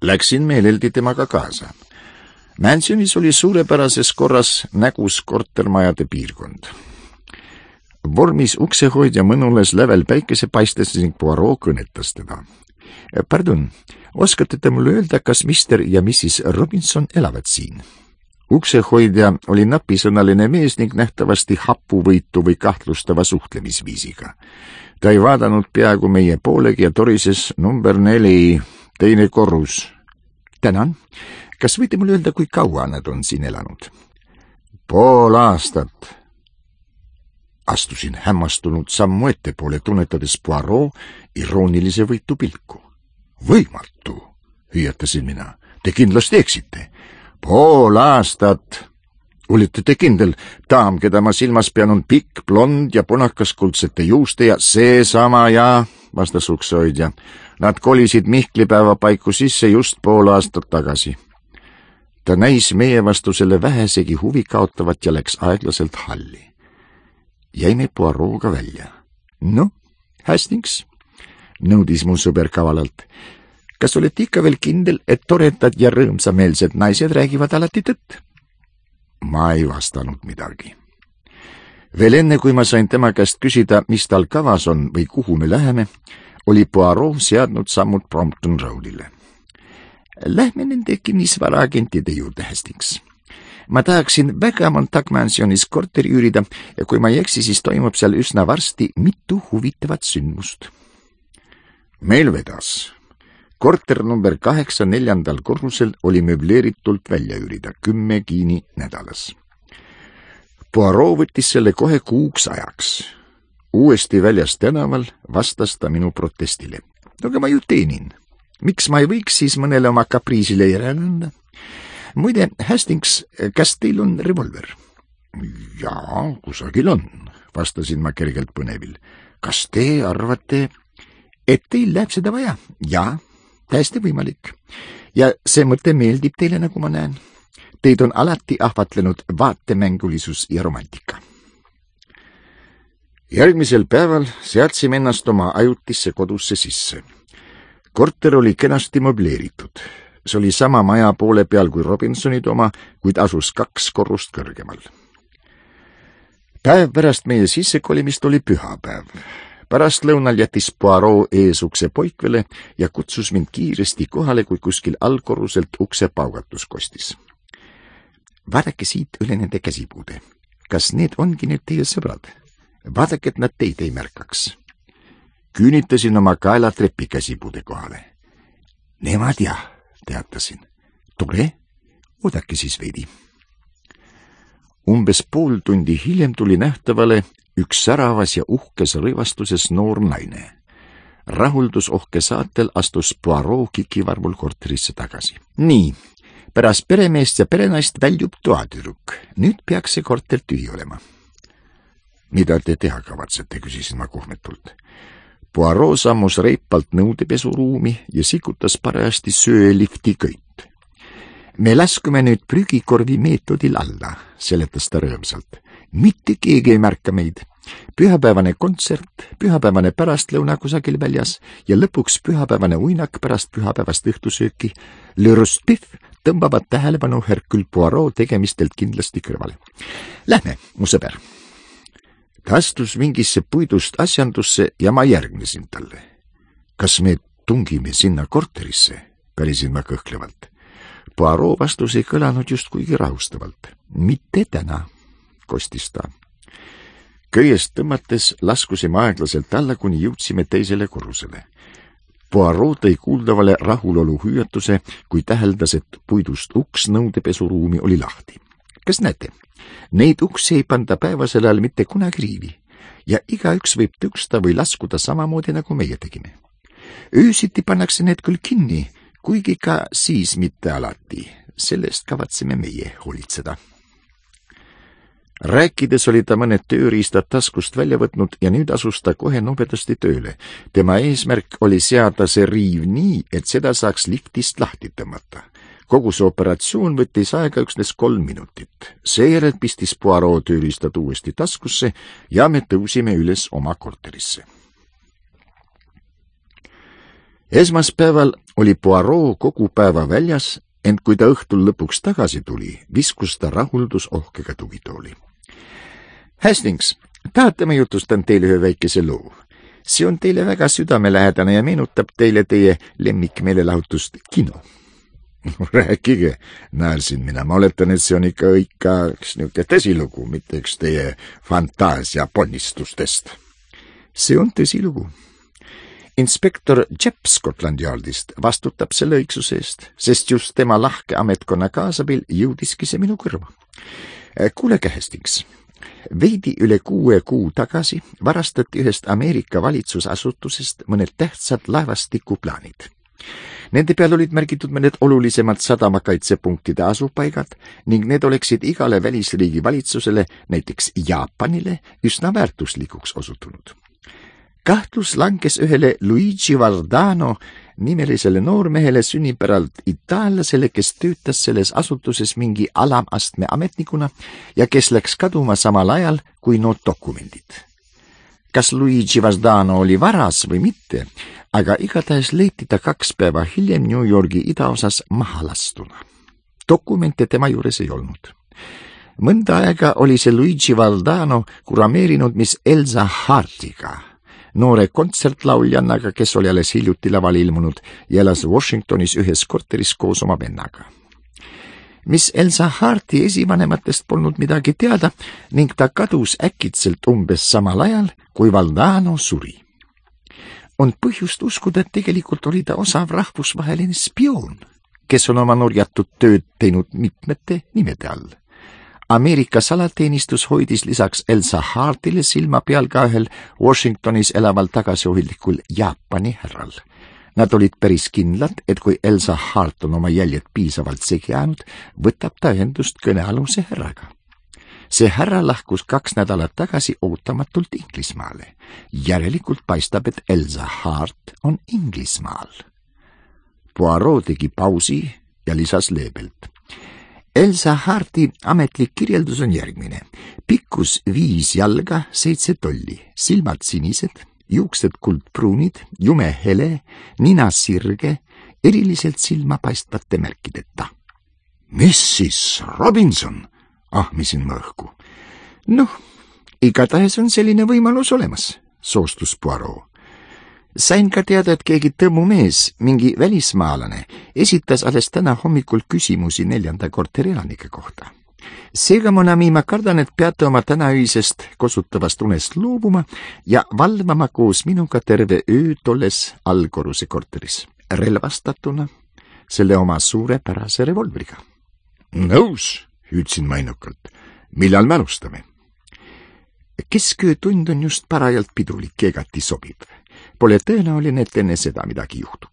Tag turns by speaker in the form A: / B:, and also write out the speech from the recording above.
A: Läksin meeleldi temaga kaasa. Mansionis oli suurepärases korras nägus kortermajade piirkond. Vormis uksehoidja mõnules lävel päikese paistes ning Poirot kõnetas teda. Pardon, oskate te mulle öelda, kas Mr. ja Mrs. Robinson elavad siin? Uksehoidja oli napisõnaline mees ning nähtavasti hapuvõitu või kahtlustava suhtlemisviisiga. Ta ei vaadanud peaaegu meie poolegi ja torises number 4, teine korrus. Tänan. Kas võite mulle öelda, kui kaua nad on siin elanud? Pool aastat. Astusin hämmastunud sammu ettepoole, tunnetades Poirot iroonilise võitu pilku. Võimatu, hüüatasin mina. Te kindlasti eksite. Pool aastat. Olite te kindel, daam, keda ma silmas pean, on pikk, blond ja punakaskuldsete juuste ja seesama ja, vastas uksehoidja. Nad kolisid Mihklipäeva paiku sisse just pool aastat tagasi. Ta näis meie vastu selle vähesegi huvi kaotavat ja läks aeglaselt halli. Jäime Poirot'ga välja. No, Hastings, nõudis mu sõber kavalalt. Kas olete ikka veel kindel, et toredad ja rõõmsameelsed naised räägivad alati tõtt? Ma ei vastanud midagi. Veel enne, kui ma sain tema käest küsida, mis tal kavas on või kuhu me läheme, oli Poirot seadnud sammud Brompton Roadile. Lähme nende kinnisvaraagentide juurde, Hastings. Ma tahaksin väga Montague Mansionis korteri üürida ja kui ma ei eksi, siis toimub seal üsna varsti mitu huvitavat sündmust. Meil vedas. Korter number 8 4. korrusel oli möbleeritult välja üürida 10 kiini nädalas. Poirot võttis selle kohe kuuks ajaks. Uuesti väljas tänaval vastas ta minu protestile. Aga ma ju teenin. Miks ma ei võiks siis mõnele oma kapriisile järele anda? Muide, Hastings, kas teil on revolver? Jaa, kusagil on, vastasin ma kergelt põnevil. Kas te arvate, et teil läheb seda vaja? Jaa, täiesti võimalik. Ja see mõte meeldib teile, nagu ma näen. Teid on alati ahvatlenud vaatemängulisus ja romantika. Järgmisel päeval seadsime ennast oma ajutisse kodusse sisse. Korter oli kenasti möbleeritud. See oli sama maja poole peal kui Robinsonid oma, kuid asus 2 korrust kõrgemal. Päev pärast meie sissekolimist oli pühapäev. Pärast lõunal jättis Poirot eesukse poikvele ja kutsus mind kiiresti kohale, kui kuskil allkorruselt ukse paugatus kostis. Vaadake siit üle nende käsipuude. Kas need ongi nüüd teie sõbrad? Vaadake, et nad teid ei märkaks. Küünitasin oma kaela trepi käsipuude kohale. Nemad jah, teatasin. Tore, oodake siis veidi. Umbes pool tundi hiljem tuli nähtavale üks säravas ja uhkes rõivastuses noor naine. Rahuldusohke saatel astus Poirot kikivarvul korterisse tagasi. Nii, pärast peremeest ja perenaist väljub toatüdruk. Nüüd peaks see korter tühi olema. Mida te teha kavatsete, küsisin ma kohmetult. Poirot sammus reipalt nõudepesuruumi ja sikutas parajasti söelifti köit. Me laskume nüüd prügikorvi meetodil alla, seletas ta rõõmsalt. Mitte keegi ei märka meid. Pühapäevane kontsert, pühapäevane pärastlõuna kusagil väljas ja lõpuks pühapäevane uinak pärast pühapäevast õhtusööki. Le Rostbiff tõmbavad tähelepanu Hercule Poirot tegemistelt kindlasti kõrvale. Lähme, mu sõber. Ta astus mingisse puidust asjandusse ja ma järgnesin talle. Kas me tungime sinna korterisse? Pärisin ma kõhklevalt. Poirot vastus ei kõlanud just kuigi rahustavalt. Mitte täna, kostis ta. Köiest tõmmates laskusime aeglaselt alla, kuni jõudsime teisele korrusele. Poirot tõi kuuldavale rahulolu hüüatuse, kui täheldas, et puidust uks nõudepesuruumi oli lahti. Kas näete? Neid uksi ei panda päevasel ajal mitte kunagi riivi ja igaüks võib tõusta või laskuda samamoodi, nagu meie tegime. Öösiti pannakse need küll kinni, kuigi ka siis mitte alati. Sellest kavatseme meie hoolitseda. Rääkides oli ta mõned tööriistad taskust välja võtnud ja nüüd asus ta kohe nobedasti tööle. Tema eesmärk oli seada see riiv nii, et seda saaks liftist lahti tõmmata. Kogu see operatsioon võttis aega üksnes 3 minutit. Seejärel pistis Poirot tööriistad uuesti taskusse ja me tõusime üles oma korterisse. Esmaspäeval oli Poirot kogu päeva väljas, ent kui ta õhtul lõpuks tagasi tuli, viskus ta rahuldusohkega tugitooli. Hastings, tahate ma jutustan teile ühe väikese loo. See on teile väga südamelähedane ja meenutab teile teie lemmikmeelelahutust kino. Rääkige, naersin mina. Ma oletan, et see on ikka üks niisugune tõsilugu, mitte üks teie fantaasia ponnistustest. See on tõsilugu. Inspektor Jepp Scotland Yardist vastutab selle õigsuse eest, sest just tema lahke ametkonna kaasabil jõudiski see minu kõrva. Kuulege, Hastings. Veidi üle 6 kuu tagasi varastati ühest Ameerika valitsusasutusest mõned tähtsad laevastikuplaanid. Nende peal olid märgitud mõned olulisemad sadamakaitsepunktide asupaigad ning need oleksid igale välisriigi valitsusele, näiteks Jaapanile, üsna väärtuslikuks osutunud. Kahtlus langes ühele Luigi Vardano nimelisele noormehele sünnipäralt itaallasele, kes töötas selles asutuses mingi alamastme ametnikuna ja kes läks kaduma samal ajal kui need dokumendid. Kas Luigi Vardano oli varas või mitte, aga igatahes leiti ta 2 päeva hiljem New Yorgi idaosas mahalastuna. Dokumente tema juures ei olnud. Mõnda aega oli see Luigi Vardano kurameerinud Miss Elsa Hartiga, noore kontsertlauljannaga, kes oli alles hiljuti laval ilmunud ja elas Washingtonis ühes korteris koos oma vennaga. Miss Elsa Harti esivanematest polnud midagi teada ning ta kadus äkitselt umbes samal ajal, kui Valdano suri. On põhjust uskuda, et tegelikult oli ta osav rahvusvaheline spioon, kes on oma nurjatud tööd teinud mitmete nimede all. Ameerika salateenistus hoidis lisaks Elsa Hartile silma peal ka ühel Washingtonis elaval tagasihoidlikul Jaapani härral. Nad olid päris kindlad, et kui Elsa Hart on oma jäljed piisavalt segi jäänud, võtab ta ühendust kõnealuse härraga. See härra lahkus 2 nädalat tagasi ootamatult Inglismaale. Järelikult paistab, et Elsa Hart on Inglismaal. Poirot tegi pausi ja lisas leebelt. Elsa Harti ametlik kirjeldus on järgmine. Pikkus 5 jalga, 7 tolli, silmad sinised, juuksed kuldpruunid, jume hele, nina sirge, eriliselt silma paistvate märkideta. Mrs. Robinson, ahmisin ma õhku. Noh, igatahes on selline võimalus olemas, soostus Poirot. Sain ka teada, et keegi tõmmumees, mingi välismaalane, esitas alles täna hommikul küsimusi 4. korteri elanike kohta. Seega, mon ami, ma kardan, et peate oma tänaöisest kosutavast unest loobuma ja valvama koos minuga terve öö tolles allkorruse korteris, relvastatuna selle oma suurepärase revolvriga. Nõus, hüüdsin ma innukalt. Millal me alustame? Kesköötund on just parajalt pidulik ja igati sobib. Pole tõenäoline, et enne seda midagi juhtub.